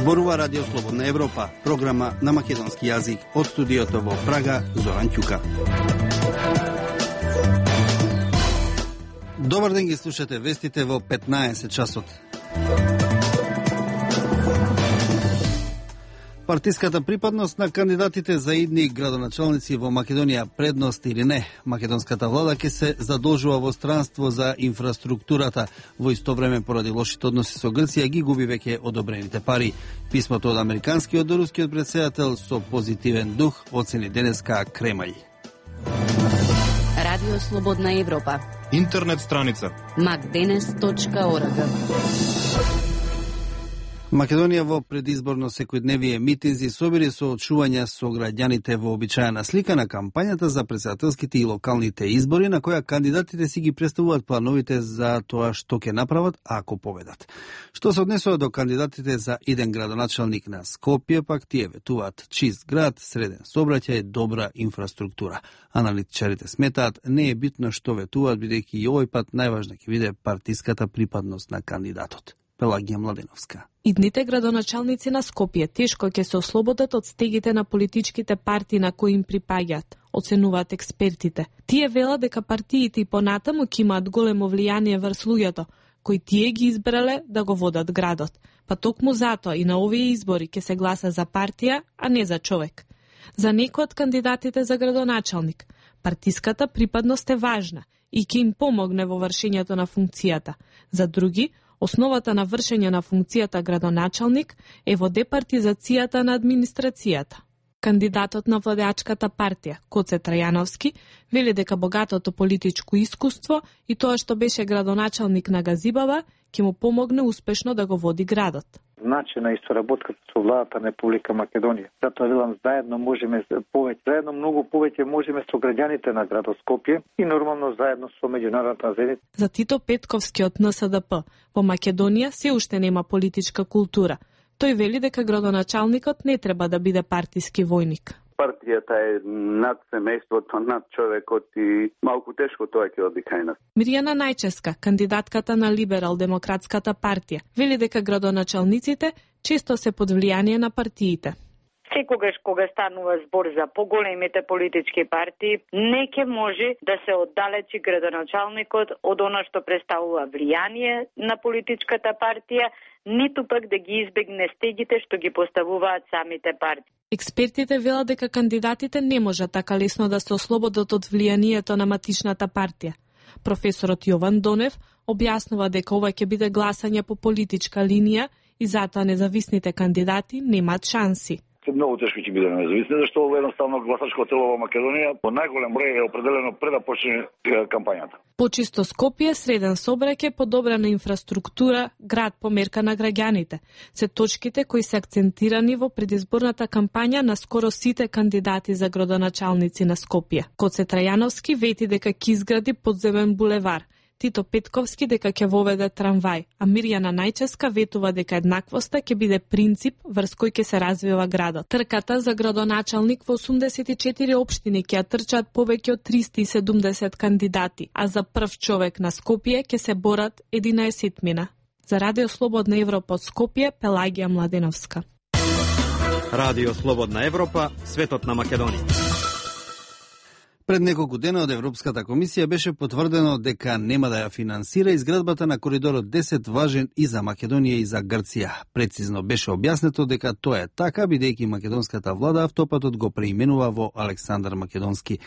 Зборува Радио Слободна Европа, програма на македонски јазик. Од студиото во Прага, Зоран Ќука. Добар ден, ги слушате вестите во 15 часот. Партиската припадност на кандидатите за идни градоначалници во Македонија, предност или не? Македонската влада ќе се задолжува во странство за инфраструктурата. Во исто време, поради лошите односи со Грција, ги губи веќе одобрените пари. Писмото од американскиот до рускиот претседател со позитивен дух оцени денеска Кремај. Радио Слободна Европа. Интернет страница macdenes.org. Македонија во предизборно секојдневие митинзи собери соочувања со граѓаните во обичаена слика на кампањата за претседателските и локалните избори, на која кандидатите си ги представуваат плановите за тоа што ќе направат ако победат. Што се однесува до кандидатите за иден градоначалник на Скопје, пак тие ветуваат чист град, среден сообраќај, добра инфраструктура. Аналитичарите сметаат не е битно што ветуваат, бидејќи и овој пат најважна ќе биде партиската припадност на кандидатот. Пелагија Младеновска. Идните градоначалници на Скопје тешко ќе се ослободат од стегите на политичките партии на кои им припаѓаат, оценуваат експертите. Тие велат дека партиите и понатаму ќе имаат големо влијание врз луѓето, кои тие ги избрале да го водат градот. Па токму затоа и на овие избори ќе се гласа за партија, а не за човек. За некои од кандидатите за градоначалник, партиската припадност е важна и ќе им помогне во вршењето на функцијата. За други, основата на вршење на функцијата градоначалник е во департизацијата на администрацијата. Кандидатот на владеачката партија, Коце Трајановски, вели дека богатото политичко искуство и тоа што беше градоначалник на Газибаба ќе му помогне успешно да го води градот. Начина и соработката со владата на Република Македонија. Затоа велам, заедно можеме повеќе, заедно многу повеќе можеме со граѓаните на градот Скопје и нормално заедно со меѓународната заедница. За Тито Петковски од НСДП, во Македонија се уште нема политичка култура. Тој вели дека градоначалникот не треба да биде партиски војник. Партијата е над семејството, над човекот и малку тешко тоа ќе оди кај нас. Мирјана Најческа, кандидатката на Либерал-демократската партија, вели дека градоначалниците често се под влијание на партиите. Секогаш кога станува збор за поголемите политички партии, не ќе може да се оддалечи градоначалникот од она што представува влијание на политичката партија, ниту пак да ги избегне стегите што ги поставуваат самите партии. Експертите велат дека кандидатите не можат така лесно да се ослободат од влијанието на матичната партија. Професорот Јован Донев објаснува дека ова ќе биде гласање по политичка линија и затоа независните кандидати немаат шанси. Многу тешко ќе биде независни, зашто едноставно гласачко тело во Македонија по најголем број е определено пред да почне кампањата. Почисто Скопје, среден сообраќај, подобрена инфраструктура, град по мерка на граѓаните. Се точките кои се акцентирани во предизборната кампања на скоро сите кандидати за градоначалници на Скопје. Коце Трајановски вети дека ќе изгради подземен булевар. Тито Петковски дека ќе воведе трамвај, а Мирјана Најческа ветува дека еднаквоста ќе биде принцип врз кој ќе се развива градот. Трката за градоначалник во 84 општини ќе трчаат повеќе од 370 кандидати, а за прв човек на Скопје ќе се борат 11-мина. За Радио Слободна Европа од Скопје, Пелагија Младеновска. Радио Слободна Европа, светот на Македонија. Пред неколку дена од Европската комисија беше потврдено дека нема да ја финансира изградбата на коридорот 10, важен и за Македонија и за Грција. Прецизно беше објаснето дека тоа е така, бидејќи македонската влада автопатот го преименува во Александар Македонски.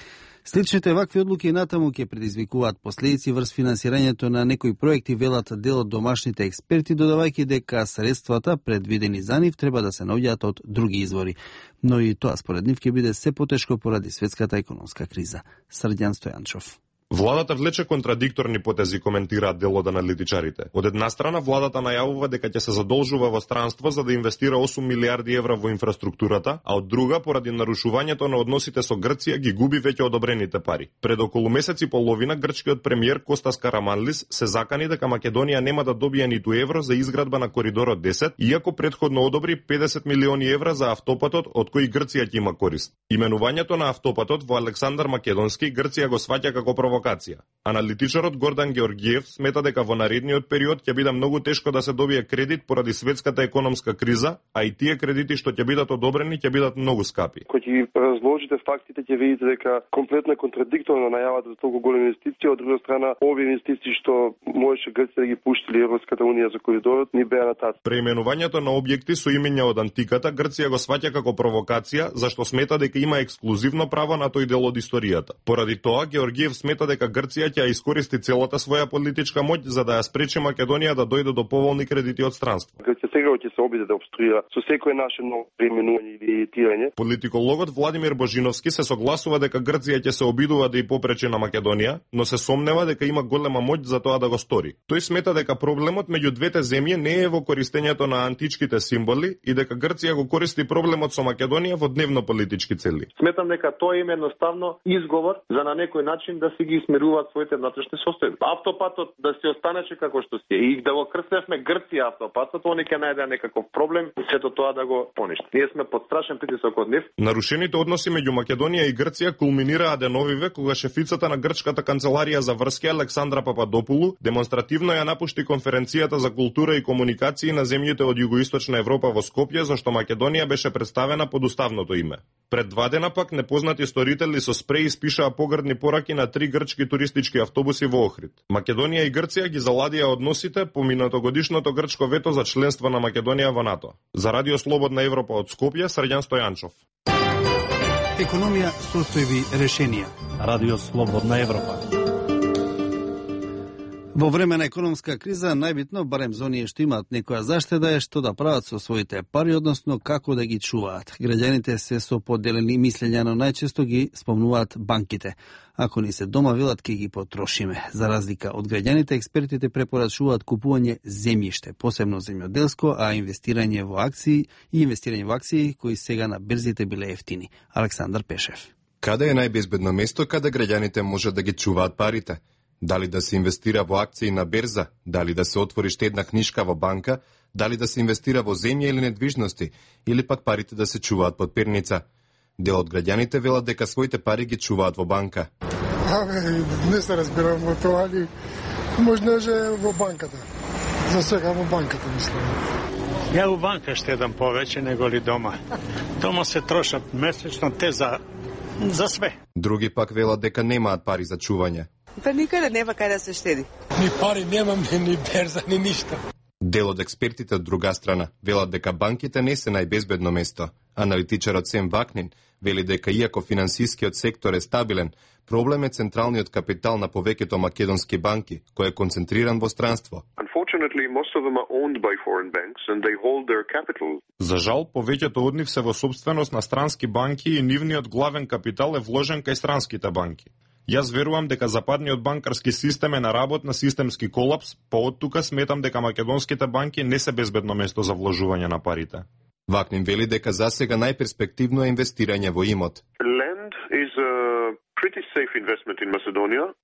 Сличните вакви одлуки и натаму ќе предизвикуваат последици врз финансирањето на некои проекти, велат дел од домашните експерти, додавајќи дека средствата предвидени за нив треба да се наоѓаат од други извори. Но и тоа според нив ќе биде се потешко поради светската економска криза. Срдјан Стојанчов. Владата влече контрадикторни потези, коментираат дел од аналитичарите. Од една страна, владата најавува дека ќе се задолжува во странство за да инвестира 8 милиарди евра во инфраструктурата, а од друга, поради нарушувањето на односите со Грција, ги губи веќе одобрените пари. Пред околу месец и половина, грчкиот премиер Костас Караманлис се закани дека Македонија нема да добие ниту евро за изградба на коридорот 10, иако предходно одобри 50 милиони евра за автопатот, од кои Грција ќе има корист. Именувањето на автопатот во Александар Македонски Грција го сваќа како провокација провокација. Аналитичарот Гордан Георгиев смета дека во наредниот период ќе биде многу тешко да се добие кредит поради светската економска криза, а и тие кредити што ќе бидат одобрени ќе бидат многу скапи. Кога ќе разложите фактите ќе видите дека комплетно контрадикторно најавата за толку големи инвестиции, од друга страна овие инвестиции што можеше Грција да ги пуштили Европската унија за коридорот ни беа натат. Преименувањето на објекти со имиња од антиката Грција го сваќа како провокација, зашто смета дека има ексклузивно право на тој дел од историјата. Поради тоа Георгиев смета дека Грција ќе искористи целата своја политичка моќ за да ја спречи Македонија да дојде до поволни кредити од странство. Грција сега ќе се обиде да обструира со секое наше ново преименување или етирање. Политикологот Владимир Божиновски се согласува дека Грција ќе се обидува да и попречи на Македонија, но се сомнева дека има голема моќ за тоа да го стори. Тој смета дека проблемот меѓу двете земји не е во користењето на античките символи и дека Грција го користи проблемот со Македонија во дневно-политички цели. Сметам дека тоа е едноставно изговор за на некој начин да си ги смируваат своите внатрешни состојби. Автопатот да си останеше како што си и да го крстевме Грција автопатот, они ќе најдеа некаков проблем и сето тоа да го поништи. Ние сме под страшен притисок од нив. Нарушените односи меѓу Македонија и Грција кулминираа деновиве кога шефицата на грчката канцеларија за врски Александра Пападопулу демонстративно ја напушти конференцијата за култура и комуникации на земјите од југоисточна Европа во Скопје, зашто Македонија беше представена под уставното име. Пред 2 дена пак непознати сторители со спреј испишаа погрдни пораки на 3 грчки туристички автобуси во Охрид. Македонија и Грција ги заладија односите по минатогодишното грчко вето за членство на Македонија во НАТО. За Радио Слободна Европа од Скопје, Срđan Стојанчов. Економија, состојби, решенија. Радио Слободна Европа. Во време на економска криза, најбитно, барем за оние што имаат некоја заштеда, е што да прават со своите пари, односно како да ги чуваат. Граѓаните се со поделени мислења, но најчесто ги спомнуваат банките. Ако ни се дома, велат, ке ги потрошиме. За разлика од граѓаните, експертите препорачуваат купување земјиште, посебно земјоделско, а инвестирање во акции кои сега на берзите биле ефтини. Александар Пешев. Каде е најбезбедно место каде граѓаните можат да ги чуваат парите? Дали да се инвестира во акции на берза, дали да се отвори штедна книшка во банка, дали да се инвестира во земја или недвижности, или пак парите да се чуваат под перница. Дел од граѓаните велат дека своите пари ги чуваат во банка. Не се разбирам во тоа, али можноже во банката. За сега во банката, мислам. Ја у банка штедам повеќе него ли дома. Дома се трошат месечно те за све. Други пак велат дека немаат пари за чување. Па никаде нема кај да се штеди. Ни пари немам, ни берза, ни ништо. Дел од експертите од друга страна велат дека банките не се најбезбедно место. Аналитичарот Сем Вакнин вели дека иако финансискиот сектор е стабилен, проблем е централниот капитал на повеќето македонски банки, кој е концентриран во странство. За жал, повеќето од нив се во собственост на странски банки и нивниот главен капитал е вложен кај странските банки. Јас верувам дека западниот банкарски систем е на работ на системски колапс, па од тука сметам дека македонските банки не се безбедно место за вложување на парите. Вакнин вели дека засега најперспективно е инвестирање во имот.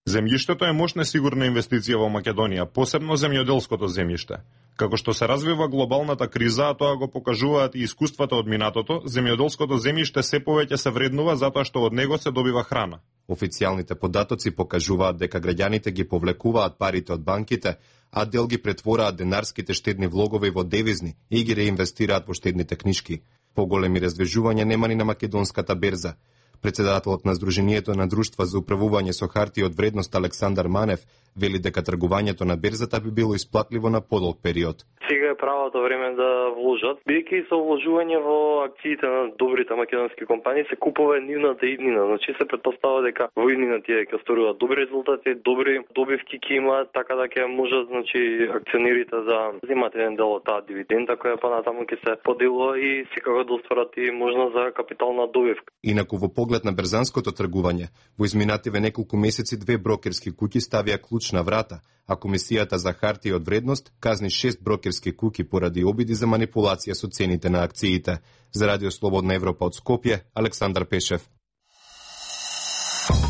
Земјиштето е мощна сигурна инвестиција во Македонија, посебно земјоделското земјиште. Како што се развива глобалната криза, а тоа го покажуваат и искуствата од минатото, земјоделското земјиште се повеќе се вреднува затоа што од него се добива храна. Официјалните податоци покажуваат дека граѓаните ги повлекуваат парите од банките, а дел ги претвораат денарските штедни влогови во девизни и ги реинвестираат во штедните книшки. Поголеми раздвижувања нема ни на македонската берза. Председателот на Сдруженијето на друштва за управување со харти од вредност Александар Манев вели дека тргувањето на берзата би било исплатливо на подолг период. Сега е правото време да вложат, бидејќи со вложување во акциите на добрите македонски компании се купува нивната иднина. Значи се претпоставува дека во иднина тие ќе остvarуваат добри резултати, добри добивки ќе имаат, така да ќе можат, значи, акционерите да земат еден дел од таа дивиденда која понатаму ќе се поделува и секако да остварат и можност за капитална добивка. Инаку во поглед на берзанското тргување, во изминативе неколку месеци 2 брокерски куќи ставија клуч на врата, а Комисијата за хартии од вредност казни 6 брокерски куќи поради обиди за манипулација со цените на акциите. За Радио Слободна Европа од Скопје, Александар Пешев.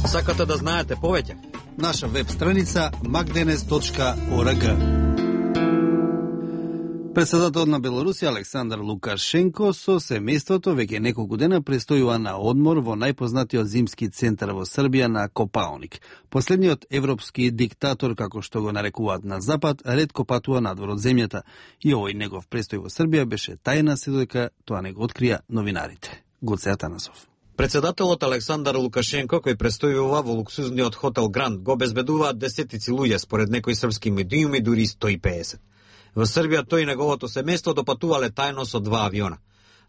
Сакате да знаете повеќе? Наша веб страница magdenes.org. Председателот на Белорусија Александар Лукашенко со семејството веќе неколку дена престојува на одмор во најпознатиот зимски центар во Србија на Копаоник. Последниот европски диктатор, како што го нарекуваат на Запад, ретко патува надвор од земјата и овој негов престој во Србија беше тајна се додека тоа не го открија новинарите. Гоце Атанасов. Председателот Александар Лукашенко, кој престојува во луксузниот хотел Гранд, го безбедуваат десетици луѓе, според некои српски медиуми дури 150. Во Србија тој и неговото семејство допатувале тајно со 2 авиона.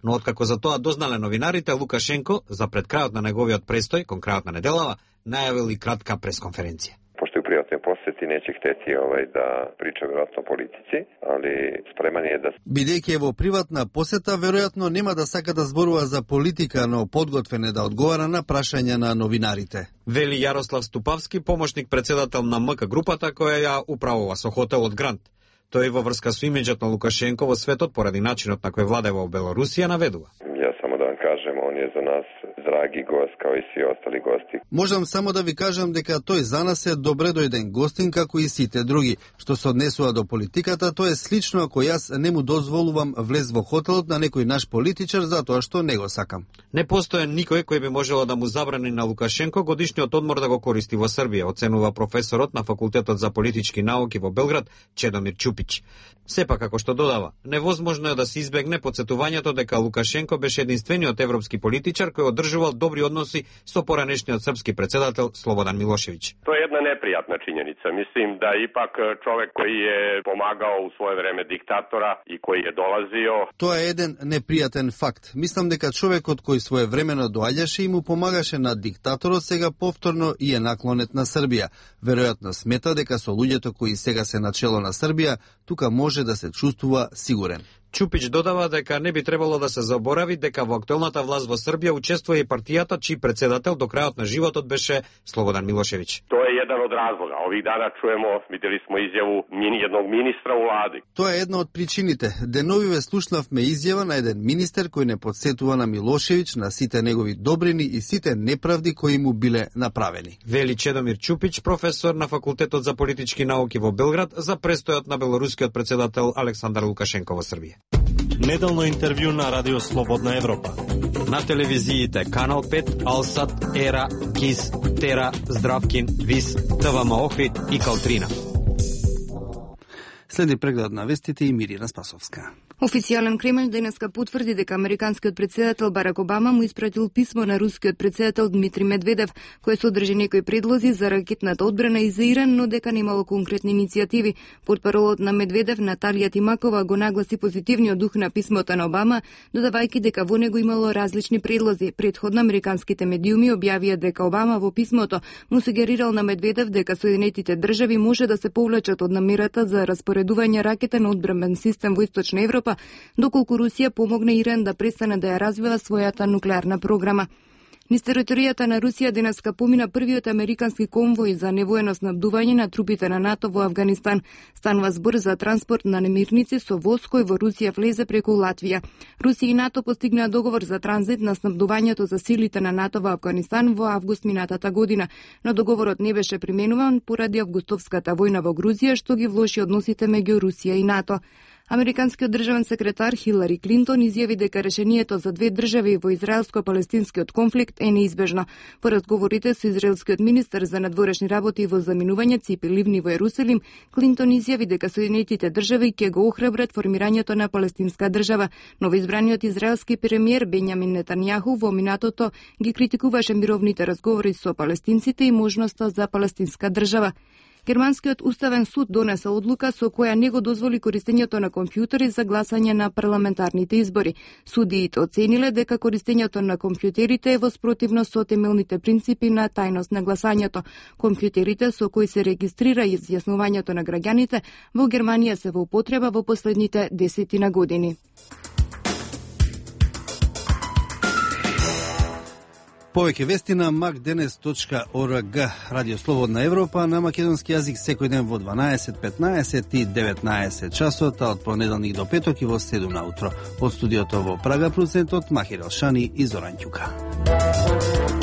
Но откако за тоа дознале новинарите, Лукашенко, за пред крајот на неговиот престој, кон крајот на неделава, најавил и кратка пресконференција. Пошто у пријатни посети неќе хтети да прича веројатно политици, али спреман е да... Бидејќи е во приватна посета, веројатно нема да сака да зборува за политика, но подготвен е да одговара на прашања на новинарите. Вели Јарослав Ступавски, помошник председател на МК групата која ја управува со хотелот Гранд. Тој во врска со имиџот на Лукашенко во светот поради начинот на кој владева во Белорусија наведува. Ја само да вам кажем, он е за нас драги гост као и сви остали гости. Можам само да ви кажам дека тој за нас е добре дојден гостин како и сите други. Што се однесува до политиката, тоа е слично ако јас не му дозволувам влез во хотелот на некој наш политичар затоа што не го сакам. Не постои никој кој би можело да му забрани на Лукашенко годишниот одмор да го користи во Србија, оценува професорот на Факултетот за политички науки во Белград Чедомир Чупич. Сепак, како што додава, невозможно е да се избегне потсетувањето дека Лукашенко беше единствениот европски политичар кој одржувал добри односи со поранешниот српски председател Слободан Милошевиќ. Тоа е една непријатна чињеница. Мислим да ипак човек кој е помагал у свое време диктатора и кој е долазио. Тоа е еден непријатен факт. Мислам дека човекот кој своевремено доаѓаше и му помагаше на диктаторот сега повторно и е наклонет на Србија. Веројатно смета дека со луѓето кои сега се начело на Србија, тука може да се чувствува сигурен. Чупич додава дека не би требало да се заборави дека во актуелната власт во Србија учествува и партијата чиј председател до крајот на животот беше Слободан Милошевиќ. Тоа е еден од разлога. Ових дана чуемо, видели смо изјаву едnog министра у влади. Тоа е една од причините. Деновиве слушнавме изјава на еден министер кој не подсетува на Милошевиќ, на сите негови добрини и сите неправди кои му биле направени. Вели Чедомир Чупич, професор на Факултетот за политички науки во Белград, за престојот на белорускиот председател Александар Лукашенко во Србија. Неделно интервју на Радио Слободна Европа. На телевизиите Канал 5, Алсат, Ера, КИС, Тера, Здравкин, ВИС, ТВМ Охрид и Калтрина. Следи преглед на вестите и Мирина Спасовска. Официјален Кремљ денеска потврди дека американскиот председател Барак Обама му испратил писмо на рускиот председател Дмитрий Медведев, кој содржи некои предлози за ракетната одбрана и за Иран, но дека немало конкретни иницијативи. Портпаролот на Медведев Наталија Тимакова го нагласи позитивниот дух на писмото на Обама, додавајќи дека во него имало различни предлози. Предходно американските медиуми објавија дека Обама во писмото му сугерирал на Медведев дека Соединетите држави може да се повлечат од намерата за распоредување ракетен одбранбен систем во Источна Европа, доколку Русија помогне Иран да престане да ја развива својата нуклеарна програма. Низ територијата на Русија денеска помина првиот американски конвој за невоено снабдување на трупите на НАТО во Авганистан. Станува збор за транспорт на немирници со воз кој во Русија влезе преку Латвија. Русија и НАТО постигнаа договор за транзит на снабдувањето за силите на НАТО во Авганистан во август минатата година, но договорот не беше применуван поради августовската војна во Грузија, што ги влоши односите меѓу Русија и НАТО. Американскиот државен секретар Хилари Клинтон изјави дека решението за две држави во израелско-палестинскиот конфликт е неизбежно. По разговорите со израелскиот министер за надворешни работи и во заминување Ципи Ливни во Ерусалим, Клинтон изјави дека Соединетите држави ќе го охрабрат формирањето на палестинска држава. Новоизбраниот израелски премиер Бенјамин Нетањаху во минатото ги критикуваше мировните разговори со палестинците и можноста за палестинска држава. Германскиот уставен суд донесе одлука со која не го дозволи користењето на компјутери за гласање на парламентарните избори. Судиите оцениле дека користењето на компјутерите е во спротивност со темелните принципи на тајност на гласањето. Компјутерите со кои се регистрира изјаснувањето на граѓаните во Германија се во употреба во последните 10 години. Повеќе вести на macdenes.org. Радио Слободна Европа на македонски јазик секој ден во 12, 15 и 19 часот, а од понеделник до петок и во 7 наутро. Од студиото во Прага, продуцентот Махир Алшани и Зоран Ќука.